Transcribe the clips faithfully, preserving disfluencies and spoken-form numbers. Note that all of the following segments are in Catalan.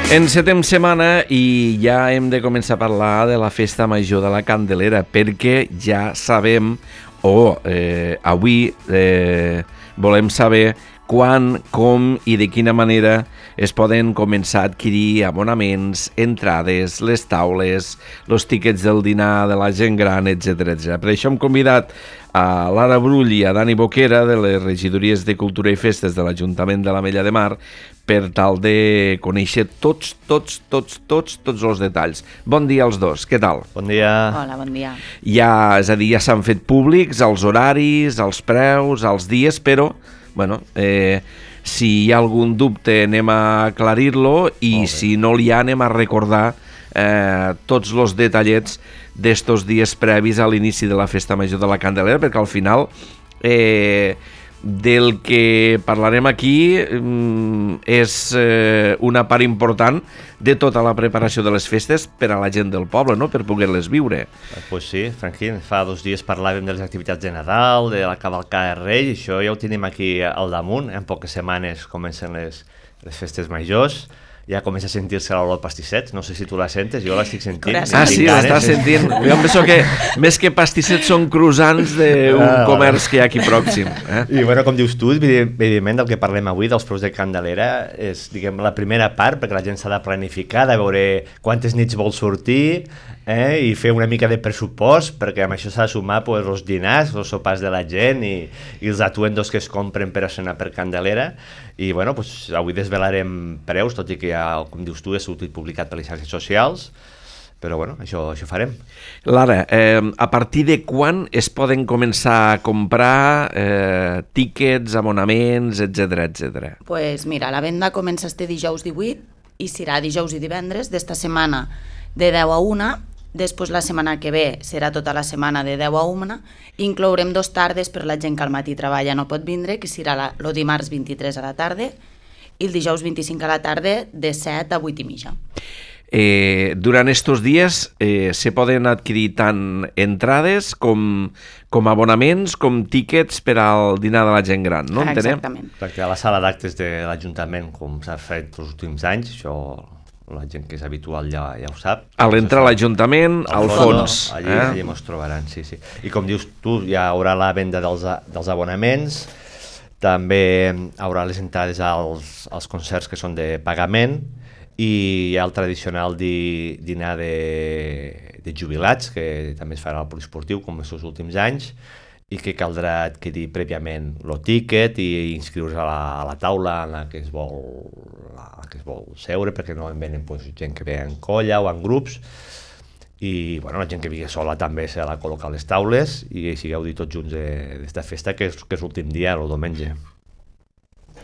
Encetem setmana i ja hem de començar a parlar de la festa major de la Candelera, perquè ja sabem, o eh, avui eh, volem saber quan, com i de quina manera es poden començar a adquirir abonaments, entrades, les taules, els tíquets del dinar de la gent gran, etcètera, etcètera. Per això hem convidat a Lara Brull i a Dani Boquera de les regidories de Cultura i Festes de l'Ajuntament de l'Ametlla de Mar per tal de conèixer tots, tots, tots, tots, tots els detalls. Bon dia als dos, què tal? Bon dia. Hola, bon dia. Ja, és a dir, ja s'han fet públics els horaris, els preus, els dies, però, bueno, eh, si hi ha algun dubte anem a aclarir-lo i si no hi ha anem a recordar eh, tots els detallets d'estos dies previs a l'inici de la Festa Major de la Candelera, perquè al final eh, del que parlarem aquí mm, és eh, una part important de tota la preparació de les festes per a la gent del poble, no? Per poder-les viure. Pues sí, tranquil, fa dos dies parlàvem de les activitats de Nadal, de la cavalcada de Reis, i això ja ho tenim aquí al damunt. En poques setmanes comencen les, les festes majors. Ja comença a sentir-se l'olor pastisset, no sé si tu la sentes, jo l'estic sentint. Ah, sí, l'estàs sentint. Jo em penso que més que pastissets són croissants d'un ah, comerç que hi ha aquí pròxim. Eh? I bueno, com dius tu, evidentment del que parlem avui, dels preus de Candelera, és diguem la primera part, perquè la gent s'ha de planificar, de veure quantes nits vol sortir, eh, i fer una mica de pressupost, perquè amb això s'ha de sumar pues, els dinars, els sopars de la gent i, i els atuendos que es compren per a cenar per Candelera. I bueno, pues, avui desvelarem preus, tot i que ja, com dius tu, és sortit publicat per les xarxes socials, però bueno, això, això farem. Lara, eh, a partir de quan es poden començar a comprar eh, tíquets, abonaments, etcètera, etcètera? Pues mira, la venda comença este dijous divuit i serà dijous i divendres d'esta setmana de deu a una. Després la setmana que ve serà tota la setmana de deu a una, inclourem dos tardes per la gent que al matí treballa no pot vindre, que serà el dimarts vint-i-tres a la tarda i el dijous vint-i-cinc a la tarda de set a vuit i mitja. Eh, durant estos dies eh, se poden adquirir tant entrades com, com abonaments, com tíquets per al dinar de la gent gran, no? Ah, entenem? exactament. Perquè a la sala d'actes de l'Ajuntament, com s'ha fet els últims anys, això la gent que és habitual ja, ja ho sap. A l'entrar a l'Ajuntament, al fons. Allí, eh? allí mos trobaran, sí, sí. I com dius tu, hi haurà la venda dels, dels abonaments, també hi haurà les entrades als, als concerts que són de pagament i hi ha el tradicional di, dinar de, de jubilats, que també es farà al poliesportiu, com els últims anys, i que caldrà adquirir prèviament el tíquet i inscriure-se a, la, a la taula en la que es vol, la que es vol seure, perquè no en venen pues, gent que ve en colla o en grups, i bueno, la gent que vingui sola també s'ha de col·locar a les taules i així gaudir tots junts d'esta festa, que és, que és l'últim dia, el diumenge.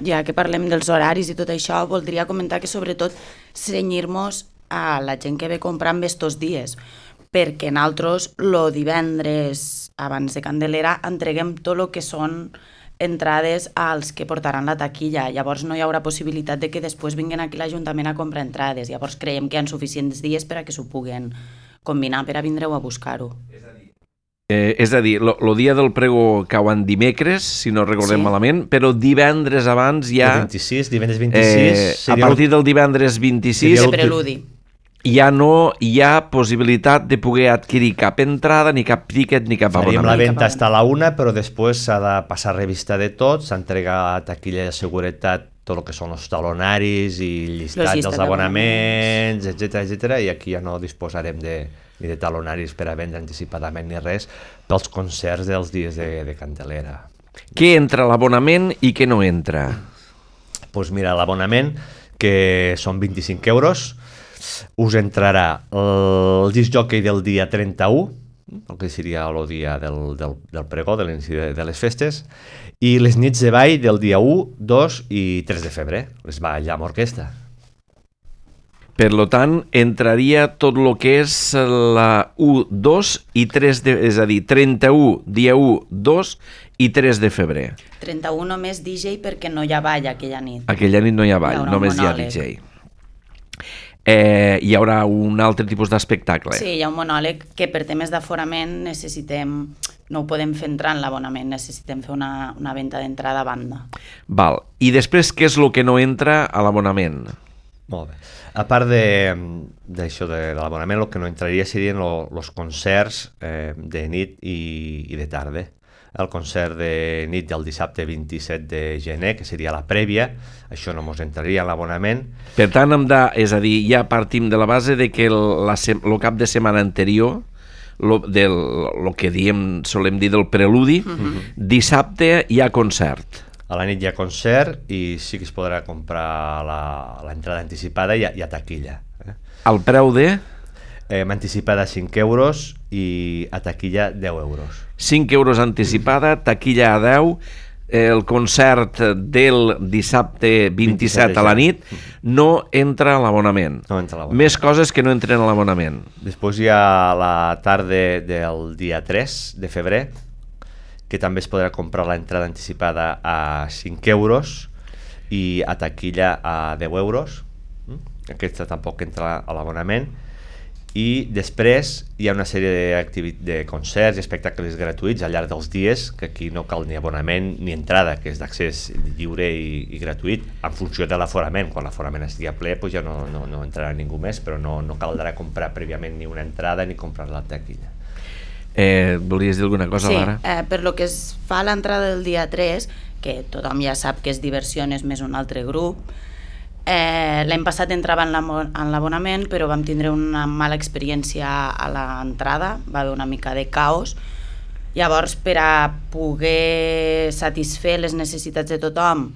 Ja que parlem dels horaris i tot això, voldria comentar que sobretot cenyir-nos a la gent que ve comprant estos dies, perquè nosaltres el divendres abans de Candelera entreguem tot el que són entrades als que portaran la taquilla. Llavors no hi haurà possibilitat de que després vinguin aquí a l'Ajuntament a comprar entrades. Llavors creiem que hi ha suficients dies per a que s'ho puguen combinar per a vindreu a buscar-ho. Eh, és a dir, el dia del prego cauen dimecres, si no recordem Sí. malament, però divendres abans ja... El vint-i-sis, divendres vint-i-sis... Eh, a seria partir del divendres vint-i-sis De preludi. ja no hi ha possibilitat de poder adquirir cap entrada, ni cap tíquet, ni cap Faríem abonament. la venda fins a la una, però després s'ha de passar revista de tot, s'entrega a taquilla de seguretat tot el que són els talonaris i llistat Los llistats dels abonaments, etcètera, etcètera, i aquí ja no disposarem de, ni de talonaris per a vendre anticipadament ni res pels concerts dels dies de, de Candelera. Què entra a l'abonament i què no entra? Doncs pues mira, l'abonament, que són vint-i-cinc euros, us entrarà el disc jockey del dia trenta-u, el que seria el dia del, del, del pregó, de l'inici de, de les festes, i les nits de ball del dia u, dos i tres de febrer, les ball amb orquestra. Per lo tant, entraria tot el que és la u, dos i tres, de, és a dir, trenta-u, dia u, dos i tres de febrer. trenta-u només D J perquè no hi ha ball aquella nit. Aquella nit no hi ha ball, Hi haurà un només hi ha monòleg. D J. Eh, hi haurà un altre tipus d'espectacle. Sí, hi ha un monòleg que per temes d'aforament necessitem, no ho podem fer entrar en l'abonament, necessitem fer una, una venda d'entrada a banda. Val. I després, què és el que no entra a l'abonament? Molt bé. A part d'això de, de l'abonament, el que no entraria serien els concerts eh, de nit i, i de tarda. El concert de nit del dissabte vint-i-set de gener, que seria la prèvia, això no mos entraria en l'abonament. Per tant, hem de, és a dir, ja partim de la base de que el, la, el cap de setmana anterior, lo, del, lo que diem, solem dir del preludi, uh-huh. dissabte hi ha concert. A la nit hi ha concert i sí que es podrà comprar l'entrada anticipada i a, i a taquilla. Eh? El preu de? Eh, anticipada cinc euros i a taquilla deu euros. cinc euros anticipada, taquilla a deu, el concert del dissabte vint-i-set a la nit no entra a l'abonament. No entra a l'abonament. Més coses que no entren a l'abonament. Després hi ha la tarda del dia tres de febrer, que també es podrà comprar l'entrada anticipada a cinc euros i a taquilla a deu euros. Aquesta tampoc entra a l'abonament. I després hi ha una sèrie de, de concerts i espectacles gratuïts al llarg dels dies, que aquí no cal ni abonament ni entrada, que és d'accés lliure i, i gratuït, en funció de l'aforament. Quan l'aforament estigui a ple, doncs ja no, no, no entrarà ningú més, però no, no caldrà comprar prèviament ni una entrada ni comprar la taquilla. Eh, volies dir alguna cosa, sí, Lara? Sí, eh, per lo que es fa a l'entrada del dia tres, que tothom ja sap que és Diversiones més un altre grup, Eh, l'any passat entrava en l'abonament, però vam tindre una mala experiència a l'entrada, va haver una mica de caos. Llavors, per a poder satisfer les necessitats de tothom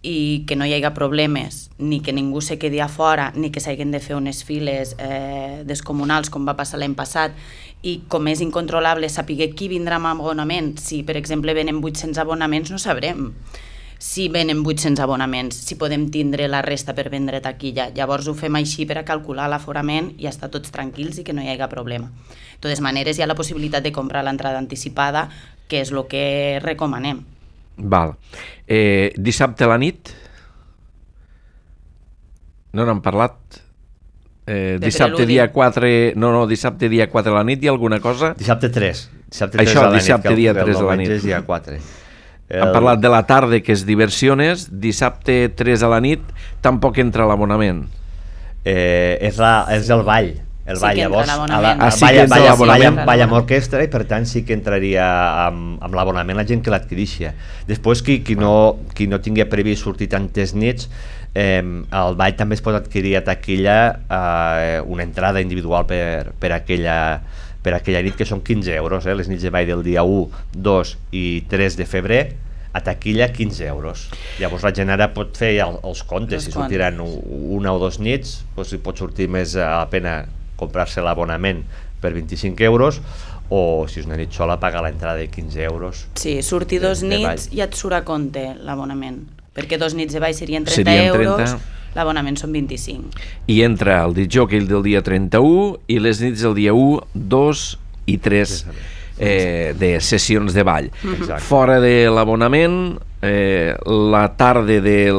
i que no hi hagi problemes, ni que ningú se quedi a fora, ni que s'hagin de fer unes files eh, descomunals com va passar l'any passat, i com és incontrolable saber qui vindrà amb abonament, si per exemple venen vuit-cents abonaments no sabrem si venen vuit-cents abonaments, si podem tindre la resta per vendre taquilla. Llavors ho fem així per a calcular l'aforament i estar tots tranquils i que no hi hagi problema. De totes maneres, hi ha la possibilitat de comprar l'entrada anticipada, que és el que recomanem. Val. Eh, dissabte a la nit? No n'hem parlat? Eh, dissabte preludi. dia quatre... No, no, dissabte dia quatre a la nit hi ha alguna cosa? Dissabte tres. Dissabte tres Això, a la dissabte nit, dia que el, tres el a la nit. és dia quatre. El... Hem parlat de la tarda, que és Diversiones, dissabte tres a la nit, tampoc entra l'abonament. Eh, és, la, és el ball. El Sí ball, que entra llavors, l'abonament. Ah, sí balla, que entra balla, l'abonament. balla, balla amb orquestra i per tant sí que entraria amb, amb l'abonament la gent que l'adquirixia. Després, qui, qui, no, qui no tingui previst sortir tantes nits, eh, el ball també es pot adquirir a taquilla eh, una entrada individual per, per, aquella, per aquella nit, que són quinze euros, eh, les nits de ball del dia u, dos i tres de febrer, a taquilla quinze euros. Llavors la gent ara pot fer el, els comptes, si sortiran una o dos nits, doncs hi pot sortir més a la pena comprar-se l'abonament per vint-i-cinc euros, o si és una nit sola pagar l'entrada de quinze euros. Sí, sortir dos de, de nits i et surt a compte l'abonament, perquè dos nits de ball serien trenta Serien euros, trenta. L'abonament són vint-i-cinc. I entra el discjòquei del dia trenta-u i les nits del dia u, dos i tres eh, de sessions de ball. Exacte. Fora de l'abonament, eh, la tarda del...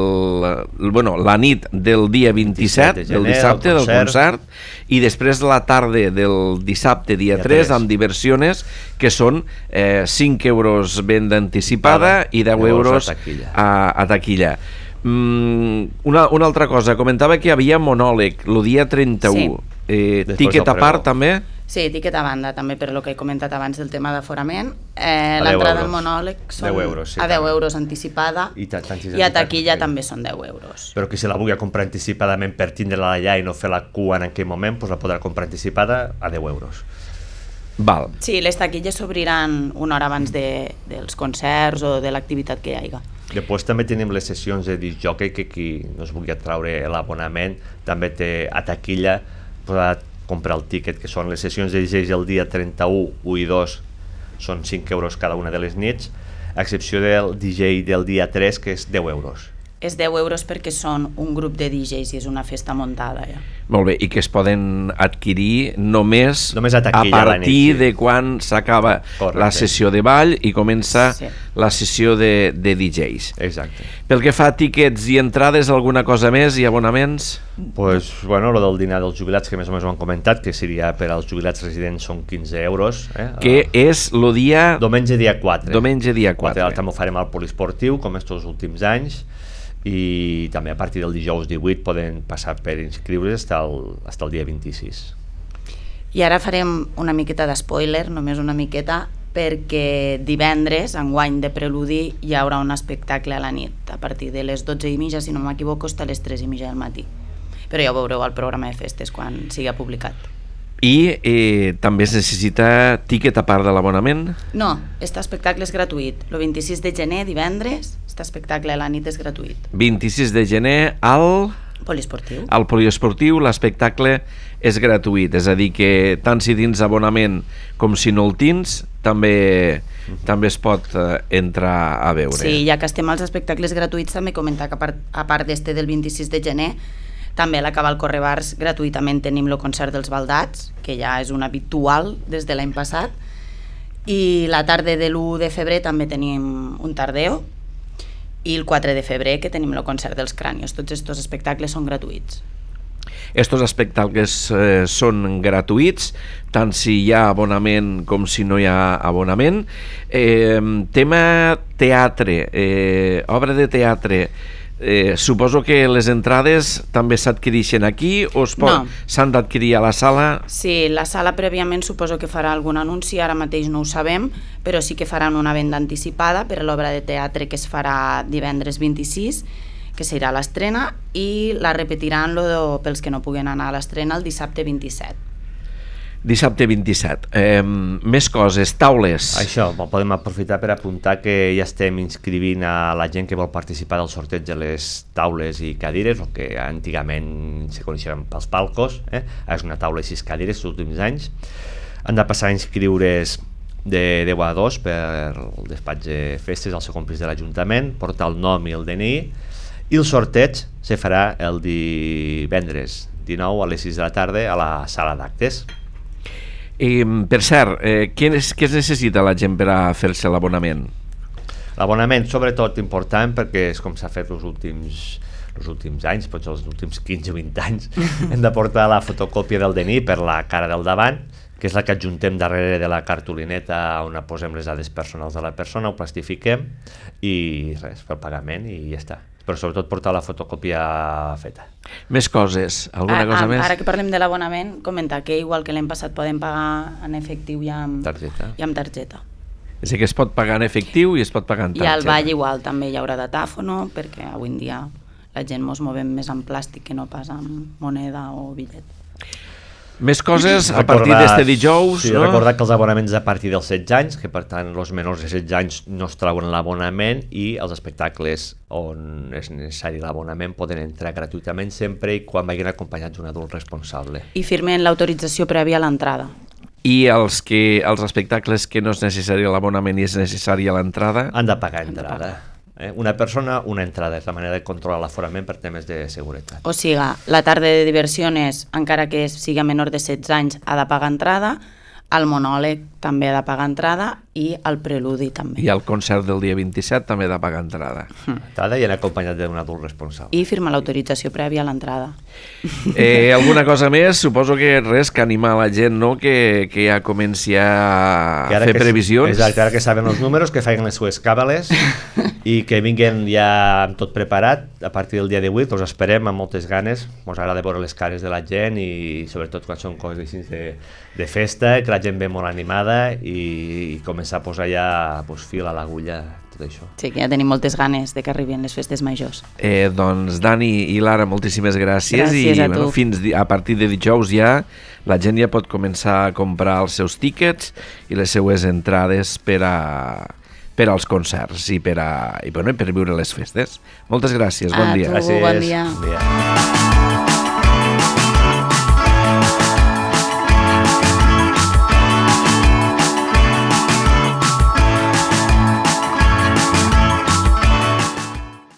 Bueno, la nit del dia vint-i-set, de del gener, dissabte, del del concert. concert, i després la tarda del dissabte, dia Dia tres, tres. amb Diversiones, que són eh, cinc euros venda anticipada i deu euros a taquilla. a, a taquilla. Mm, una, una altra cosa, comentava que hi havia monòleg el dia trenta-u. Sí. Eh, Després tiquet del a part pregó. també? Sí, tiquet a banda, també per lo que he comentat abans del tema d'aforament. Eh, A L'entrada deu al euros. monòleg són deu euros, sí, a deu també. euros anticipada I, ta- tant si i a és taquilla anticipada. també són deu euros. Però que si la vulgui comprar anticipadament per tindre-la allà i no fer la cua en aquell moment, doncs la podrà comprar anticipada a deu euros. Val. Sí, les taquilles s'obriran una hora abans de, dels concerts o de l'activitat que hi hagi. Després també tenim les sessions de discjòquei, que qui no es vulgui traure l'abonament també té a taquilla, podrà comprar el tiquet, que són les sessions de D Js el dia trenta-u, u i dos, són cinc euros cada una de les nits, a excepció del D J del dia tres, que és deu euros. És deu euros perquè són un grup de D Js i és una festa muntada, ja. Molt bé, i que es poden adquirir només, Només a taquilla a a la partir nit, sí. de quan s'acaba Correcte. la sessió de ball i comença Sí. la sessió de, de D Js. Exacte. Pel que fa a tíquets i entrades, alguna cosa més i abonaments? Pues, bueno, lo del dinar dels jubilats, que més o menys ho han comentat, que seria per als jubilats residents són quinze euros. Eh? Que és el dia... Diumenge dia quatre. Diumenge dia quatre. També ho farem al poliesportiu, com estos últims anys, i també a partir del dijous divuit poden passar per inscriure's fins el, fins el dia vint-i-sis. I ara farem una miqueta d'espoiler, només una miqueta, perquè divendres, enguany de Preludi, hi haurà un espectacle a la nit, a partir de les dotze i mitja, si no m'equivoco, fins a les tres i mitja del matí. Però ja ho veureu al programa de festes quan sigui publicat. I eh, també es necessita tiquet a part de l'abonament? No, este espectacle és gratuït. El vint-i-sis de gener, divendres, este espectacle a la nit és gratuït. vint-i-sis de gener al... Poliesportiu. Al poliesportiu l'espectacle és gratuït, és a dir que tant si tens abonament com si no el tens, també, mm-hmm. també es pot eh, entrar a veure. Sí, ja que estem als espectacles gratuïts, també comentar que a part, a part d'este del vint-i-sis de gener, també a la Cabal Correbars gratuïtament tenim el concert dels Baldats, que ja és un habitual des de l'any passat, i la tarda de l'u de febrer també tenim un tardeo, i el quatre de febrer que tenim el concert dels Crànios. Tots aquests espectacles són gratuïts. Estos espectacles eh, són gratuïts, tant si hi ha abonament com si no hi ha abonament. Eh, tema teatre, eh, obra de teatre, Eh, suposo que les entrades també s'adquireixen aquí o no. S'han d'adquirir a la sala? Sí, la sala prèviament suposo que farà algun anunci, ara mateix no ho sabem, però sí que faran una venda anticipada per a l'obra de teatre que es farà divendres vint-i-sis, que serà l'estrena, i la repetiran lo, pels que no puguen anar a l'estrena el dissabte vint-i-set. Dissabte vint-i-set. Eh, més coses, taules. Això, podem aprofitar per apuntar que ja estem inscrivint a la gent que vol participar del sorteig de les taules i cadires, el que antigament se coneixien pels palcos, eh? És una taula i sis cadires els últims anys. Han de passar a inscriure's de deu a dos per el despatx de festes al segon pis de l'Ajuntament, portar el nom i el D N I, i el sorteig se farà el divendres dinou a les sis de la tarda a la sala d'actes. I, per cert, eh, què, es, què es necessita la gent per a fer-se l'abonament? L'abonament, sobretot, important perquè és com s'ha fet els últims, els últims anys, potser els últims quinze o vint anys. Hem de portar la fotocòpia del D N I per la cara del davant, que és la que adjuntem darrere de la cartolineta on posem les dades personals de la persona, ho plastifiquem i res, fer el pagament i ja està. Però sobretot portar la fotocòpia feta. Més coses, alguna cosa a, més? Ara que parlem de l'abonament, comentar que igual que l'any passat podem pagar en efectiu i amb targeta. I amb targeta. És a dir, que es pot pagar en efectiu i es pot pagar en targeta. I al ball igual també hi haurà datàfono, perquè avui en dia la gent mos movem més en plàstic que no pas amb moneda o bitllet. Més coses a partir d'este dijous, sí, no? Recordar que els abonaments a partir dels setze anys, que per tant els menors de setze anys no es treuen l'abonament, i els espectacles on és necessari l'abonament poden entrar gratuïtament sempre i quan vagin acompanyats d'un adult responsable. I firmen l'autorització prèvia a l'entrada. I els, que, els espectacles que no és necessari l'abonament i és necessari a l'entrada? Han de pagar entrada. Eh? Una persona, una entrada, és la manera de controlar l'aforament per temes de seguretat. O sigui, la tarda de diversiones, encara que sigui menor de setze anys, ha de pagar entrada, el monòleg també ha de pagar entrada i el preludi també. I el concert del dia vint-i-set també ha de pagar entrada. Entrada i anar acompanyat d'un adult responsable. I firma l'autorització prèvia a l'entrada. Eh, alguna cosa més? Suposo que res, que animar la gent, no?, que, que ja comenci a fer que, previsions. Exacte, ara que saben els números, que facin les sues càbales i que vinguin ja amb tot preparat a partir del dia divuit. Us esperem amb moltes ganes, ens agrada veure les cares de la gent i sobretot quan són coses així de, de festa, que la gent ve molt animada i, i començar a posar ja pues, fil a l'agulla, tot això. Sí, que ja tenim moltes ganes de que arribin les festes majors. Eh, doncs Dani i Lara, moltíssimes gràcies. Gràcies i, a tu. Bueno, fins a partir de dijous ja la gent ja pot començar a comprar els seus tíquets i les seues entrades per a per als concerts i per, a, i, bueno, per viure les festes. Moltes gràcies, bon a dia. Tu, gràcies. Bon dia. Bon dia.